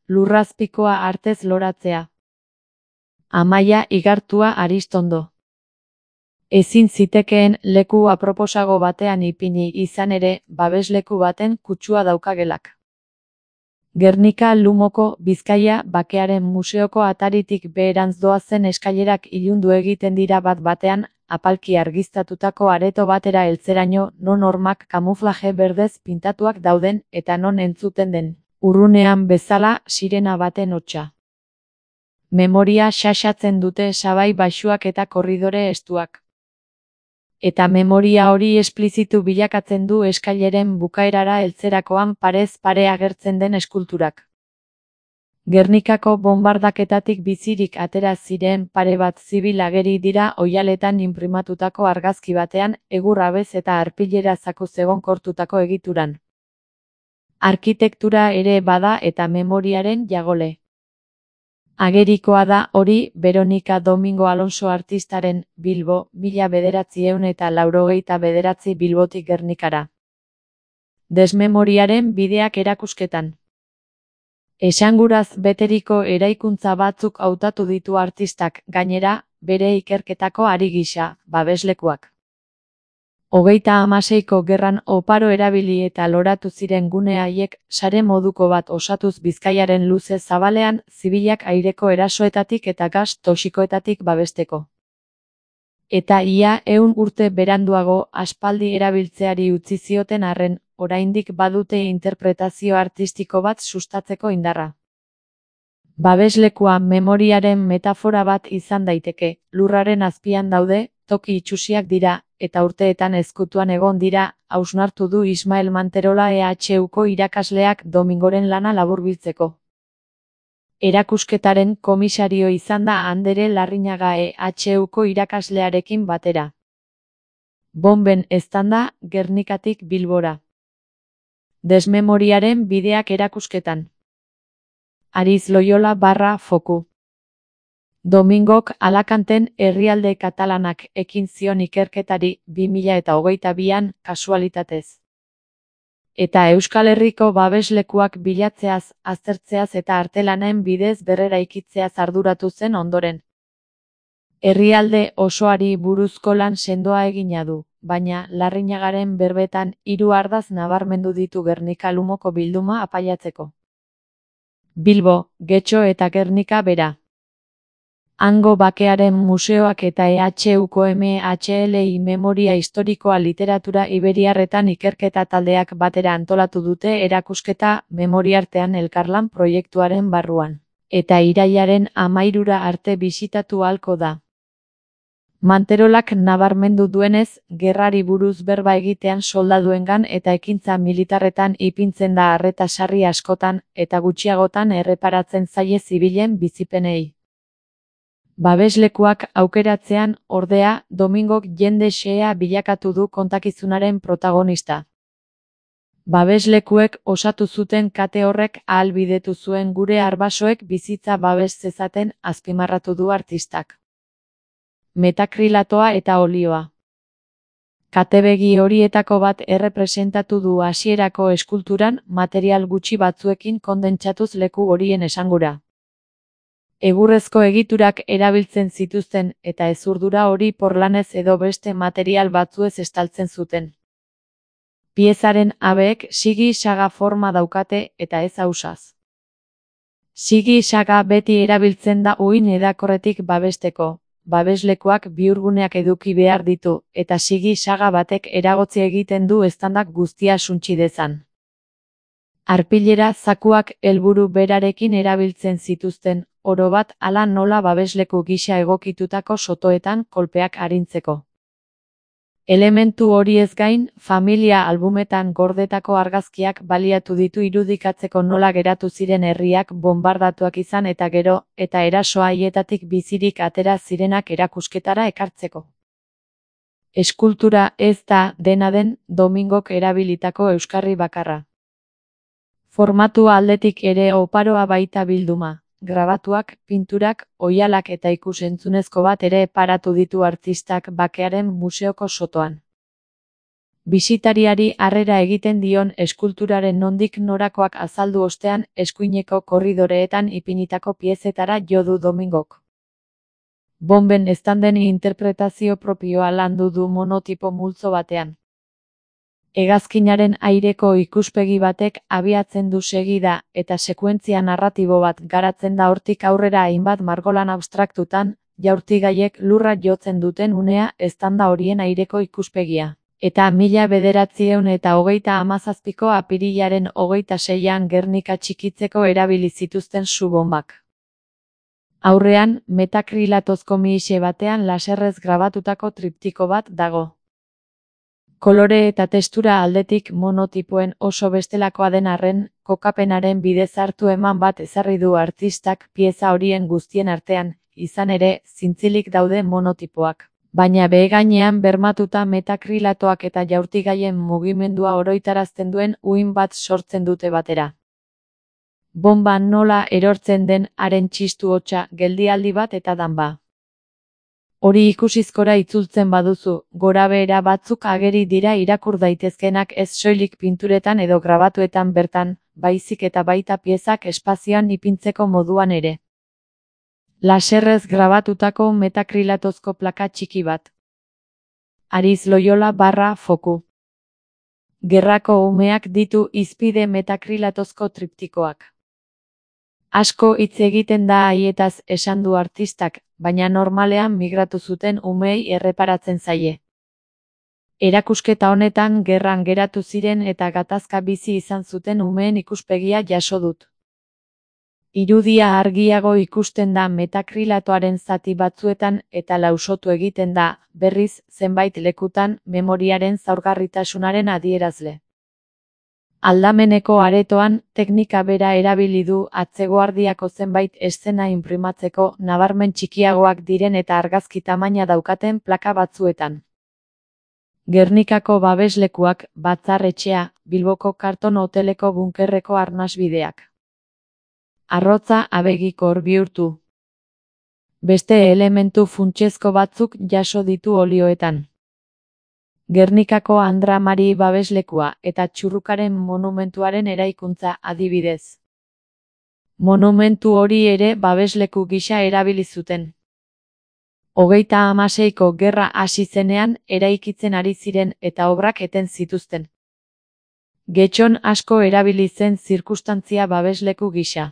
lurrazpikoa artez loratzea. Amaia Igartua Aristondo. Ezin zitekeen leku aproposago batean ipini izan ere, babesleku baten kutsua daukagelak. Gernika Lumoko Bizkaia Bakearen Museoko ataritik beherantz doazen eskailerak ilundu egiten dira bat-batean, apalki argiztatutako areto batera heltzeraino, non hormak kamuflaje berdez pintatuak dauden eta non entzuten den, urrunean bezala, sirena baten hotsa. Memoria xaxatzen dute sabai baxuak eta korridore estuak. Eta memoria hori esplizitu bilakatzen du eskaileren bukaerara heltzerakoan parez pare agertzen den eskulturak. Gernikako bonbardaketatik bizirik atera ziren pare bat zibil ageri dira oihaletan inprimatutako argazki batean, egur abez eta arpilera zakuz egonkortutako egituran. Arkitektura ere bada eta memoriaren jagole. Agerikoa da hori Veronika Domingo Alonso artistaren Bilbo, 1989 Bilbotik Gernikara. Desmemoriaren bideak erakusketan. Esanguraz beteriko eraikuntza batzuk hautatu ditu artistak, gainera, bere ikerketako ari gisa, babeslekuak. 36ko gerran oparo erabili eta loratu ziren gune haiek, sare moduko bat osatuz Bizkaiaren luze zabalean, zibilak aireko erasoetatik eta gas toxikoetatik babesteko. Eta ia 100 urte beranduago aspaldi erabiltzeari utzi zioten arren, oraindik badute interpretazio artistiko bat sustatzeko indarra. Babeslekua memoriaren metafora bat izan daiteke, lurraren azpian daude, toki itsusiak dira, eta urteetan ezkutuan egon dira, hausnartu du Ismael Manterola EHUko irakasleak Domingoren lana laburbiltzeko. Erakusketaren komisario izan da Andere Larrinaga EHUko irakaslearekin batera. Bonben eztanda, Gernikatik Bilbora. Desmemoriaren bideak erakusketan. Ariz Loyola /Foku. Domingok Alakanten herrialde katalanak ekin zion ikerketari 2022an kasualitatez. Eta Euskal Herriko babeslekuak bilatzeaz, aztertzeaz eta artelanen bidez berreraikitzeaz arduratu zen ondoren. Herrialde osoari buruzko lan sendoa egina du, baina Larrinagaren berbetan 3 ardatz nabarmendu ditu Gernika Lumoko bilduma apaiatzeko. Bilbo, Getxo eta Gernika bera. Hango Bakearen Museoak eta EHUko MHLI Memoria Historikoa Literatura Iberiarretan ikerketa taldeak batera antolatu dute erakusketa Memoriartean elkarlan proiektuaren barruan, eta irailaren 13 arte bisitatu ahalko da. Manterolak nabarmendu duenez, gerrari buruz berba egitean soldaduengan eta ekintza militarretan ipintzen da arreta sarri askotan, eta gutxiagotan erreparatzen zaie zibilen bizipenei. Babeslekuak aukeratzean, ordea, Domingok jende xehea bilakatu du kontakizunaren protagonista. Babeslekuek osatu zuten kate horrek ahalbidetu zuen gure arbasoek bizitza babes zezaten, azpimarratu du artistak. Metakrilatoa eta olioa. Katebegi horietako bat errepresentatu du hasierako eskulturan, material gutxi batzuekin kondentsatuz leku horien esangura. Egurrezko egiturak erabiltzen zituzten eta hezurdura hori porlanez edo beste material batzuez estaltzen zuten. Piezaren abeek sigi-saga forma daukate eta ez ausaz. Sigi-saga beti erabiltzen da uhin edakorretik babesteko. Babeslekuak bihurguneak eduki behar ditu, eta sigi-saga batek eragotzi egiten du eztandak guztia suntsi dezan. Arpilera zakuak helburu berarekin erabiltzen zituzten, orobat hala nola babesleku gisa egokitutako sotoetan kolpeak arintzeko. Elementu horiez gain, familia albumetan gordetako argazkiak baliatu ditu irudikatzeko nola geratu ziren herriak bonbardatuak izan eta gero, eta eraso haietatik bizirik atera zirenak erakusketara ekartzeko. Eskultura ez da, dena den, Domingok erabilitako euskarri bakarra. Formatua aldetik ere oparoa baita bilduma. Grabatuak, pinturak, oihalak eta ikus-entzunezko bat ere paratu ditu artistak Bakearen museoko sotoan. Bisitariari harrera egiten dion eskulturaren nondik norakoak azaldu ostean eskuineko korridoreetan ipinitako piezetara jo du Domingok. Bonben estanden interpretazio propioa landu du monotipo multzo batean. Hegazkinaren aireko ikuspegi batek abiatzen du segida eta sekuentzia narratibo bat garatzen da hortik aurrera hainbat margolan abstraktutan, jaurtigaiek lurra jotzen duten unea estanda horien aireko ikuspegia. Eta 1937ko apirilaren 26an Gernika txikitzeko erabili zituzten su-bonbak. Aurrean, metakrilatozko mixe batean laserrez grabatutako triptiko bat dago. Kolore eta testura aldetik monotipoen oso bestelakoa den arren, kokapenaren bidez hartu eman bat ezarri du artistak pieza horien guztien artean, izan ere, zintzilik daude monotipoak. Baina behegainean bermatuta metakrilatoak eta jaurtigaien mugimendua oroitarazten duen uhin bat sortzen dute batera. Bonba nola erortzen den haren txistu hotsa, geldialdi bat eta danba. Hori ikusizkora itzultzen baduzu, gorabehera batzuk ageri dira irakur daitezkenak ez soilik pinturetan edo grabatuetan bertan, baizik eta baita piezak espazioan ipintzeko moduan ere. Laserrez grabatutako metakrilatozko plaka txiki bat. Ariz Loyola / foku. Gerrako umeak ditu hizpide metakrilatozko triptikoak. Asko hitz egiten da haietaz esan du artistak, baina normalean migratu zuten umeei erreparatzen zaie. Erakusketa honetan gerran geratu ziren eta gatazka bizi izan zuten umeen ikuspegia jaso dut. Irudia argiago ikusten da metakrilatoaren zati batzuetan eta lausotu egiten da, berriz, zenbait lekutan, memoriaren zaurgarritasunaren adierazle. Aldameneko aretoan, teknika bera erabili du atzeguardiako zenbait eszena inprimatzeko nabarmen txikiagoak diren eta argazki tamaina daukaten plaka batzuetan. Gernikako babeslekuak, batzar-etxea, Bilboko karton hoteleko bunkerreko arnasbideak. Arrotza abegikor bihurtu. Beste elementu funtsezko batzuk jaso ditu olioetan. Gernikako Andra Mari babeslekua eta Txurrukaren monumentuaren eraikuntza adibidez. Monumentu hori ere babesleku gisa erabili zuten. 36ko gerra hasi zenean eraikitzen ari ziren eta obrak eten zituzten. Getxon asko erabili zen zirkustantzia babesleku gisa.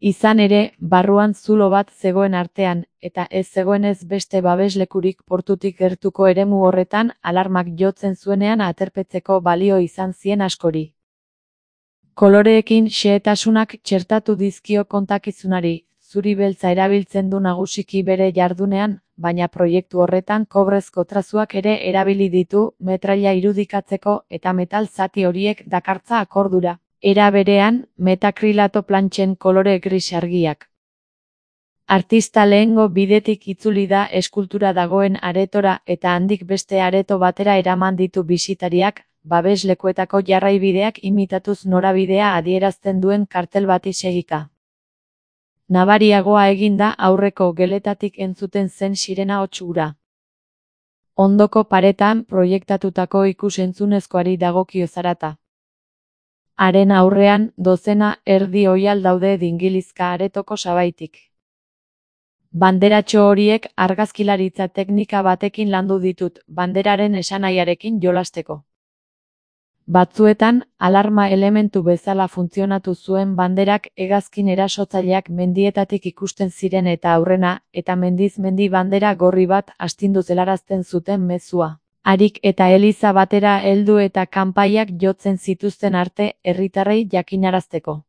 Izan ere, barruan zulo bat zegoen artean, eta ez zegoenez beste babeslekurik portutik gertuko eremu horretan alarmak jotzen zuenean aterpetzeko balio izan zien askori. Koloreekin xehetasunak txertatu dizkio kontakizunari, zuri beltza erabiltzen du nagusiki bere jardunean, baina proiektu horretan kobrezko trazuak ere erabili ditu metraila irudikatzeko eta metal zati horiek dakartza akordura. Era berean, metakrilato plantxen kolore gris argiak. Artista lehengo bidetik itzuli da eskultura dagoen aretora eta handik beste areto batera eraman ditu bisitariak, babeslekuetako jarraibideak imitatuz norabidea adierazten duen kartel bati segika. Nabariagoa eginda aurreko geletatik entzuten zen sirena hots hura. Ondoko paretan proiektatutako ikus-entzunezkoari dagokio zarata. Haren aurrean, dozena erdi oihal daude dingilizka aretoko sabaitik. Banderatxo horiek argazkilaritza teknika batekin landu ditut, banderaren esanahiarekin jolasteko. Batzuetan, alarma elementu bezala funtzionatu zuen banderak hegazkin erasotzaileak mendietatik ikusten ziren eta aurrena, eta mendiz mendi bandera gorri bat astinduz helarazten zuten mezua. Harik eta eliza batera heldu eta kanpaiak jotzen zituzten arte herritarrei jakinarazteko.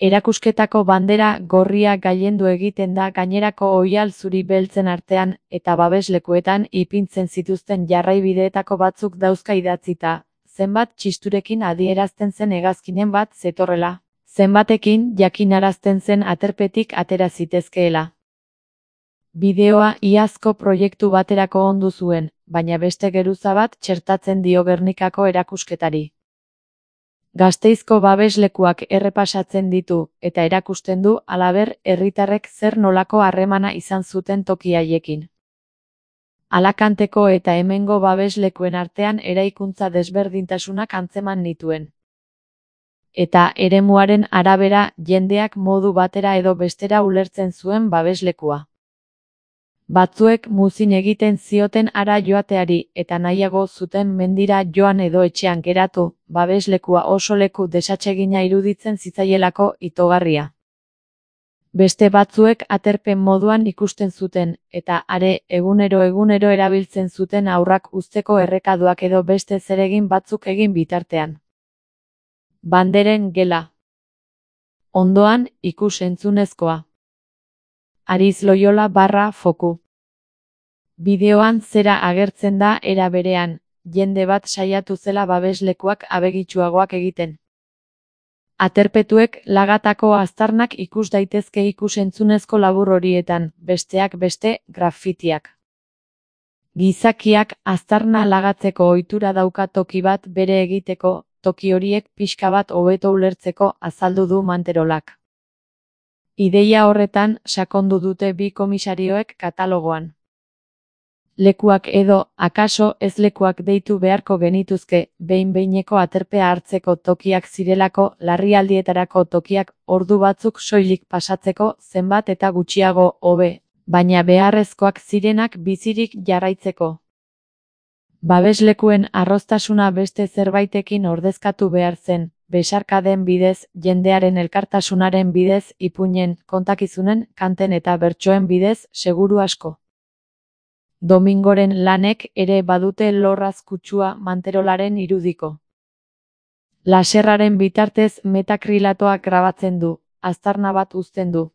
Erakusketako bandera gorria gailendu egiten da gainerako oihal zuri beltzen artean eta babeslekuetan ipintzen zituzten jarraibideetako batzuk dauzka idatzita, zenbat txisturekin adierazten zen hegazkinen bat zetorrela, zenbatekin jakinarazten zen aterpetik atera zitezkeela. Bideoa iazko proiektu baterako ondu zuen, baina beste geruza bat txertatzen dio Gernikako erakusketari. Gasteizko babeslekuak errepasatzen ditu, eta erakusten du halaber herritarrek zer nolako harremana izan zuten toki haiekin. Alakanteko eta hemengo babeslekuen artean eraikuntza desberdintasunak antzeman nituen. Eta eremuaren arabera jendeak modu batera edo bestera ulertzen zuen babeslekua. Batzuek muzin egiten zioten hara joateari eta nahiago zuten mendira joan edo etxean geratu, babeslekua oso leku desatsegina iruditzen zitzaielako itogarria. Beste batzuek aterpen moduan ikusten zuten, eta are egunero erabiltzen zuten haurrak uzteko errekaduak edo beste zeregin batzuk egin bitartean. Banderen gela. Ondoan, ikus-entzunezkoa. Ariz Loyola / Foku. Bideoan zera agertzen da era berean, jende bat saiatu zela babeslekuak abegitsuagoak egiten. Aterpetuek lagatako aztarnak ikus daitezke ikus-entzunezko labur horietan, besteak beste, grafitiak. Gizakiak aztarna lagatzeko ohitura dauka toki bat bere egiteko, toki horiek pixka bat hobeto ulertzeko azaldu du Manterolak. Ideia horretan sakondu dute bi komisarioek katalogoan. Lekuak edo, akaso ez lekuak deitu beharko genituzke, behin-behineko aterpea hartzeko tokiak zirelako, larrialdietarako tokiak, ordu batzuk soilik pasatzeko, zenbat eta gutxiago hobe, baina beharrezkoak zirenak bizirik jarraitzeko. Babeslekuen arroztasuna beste zerbaitekin ordezkatu behar zen, besarkaden bidez, jendearen elkartasunaren bidez, ipuinen, kontakizunen, kanten eta bertsoen bidez, seguru asko. Domingoren lanek ere badute lorraz kutsua Manterolaren irudiko. Laserraren bitartez metakrilatoak grabatzen du, aztarna bat uzten du.